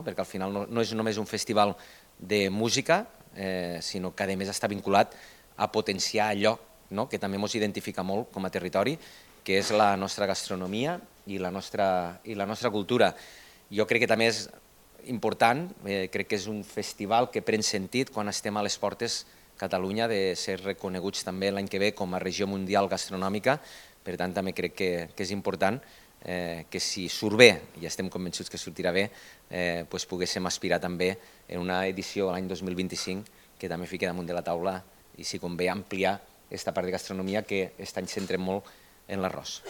perquè al final no és només un festival de música, sinó que a més està vinculat a potenciar allò que també ens identifica molt com a territori, que és la nostra gastronomia i la nostra cultura. Jo crec que també és important, crec que és un festival que pren sentit quan estem a les portes Catalunya de ser reconeguts també l'any que ve com a regió mundial gastronòmica, per tant també crec que és important que si surt bé, i estem convençuts que sortirà bé, poguéssim aspirar també en una edició l'any 2025 que també fiqui damunt de la taula i si convé ampliar aquesta part de gastronomia que aquest any centrem molt en l'arròs.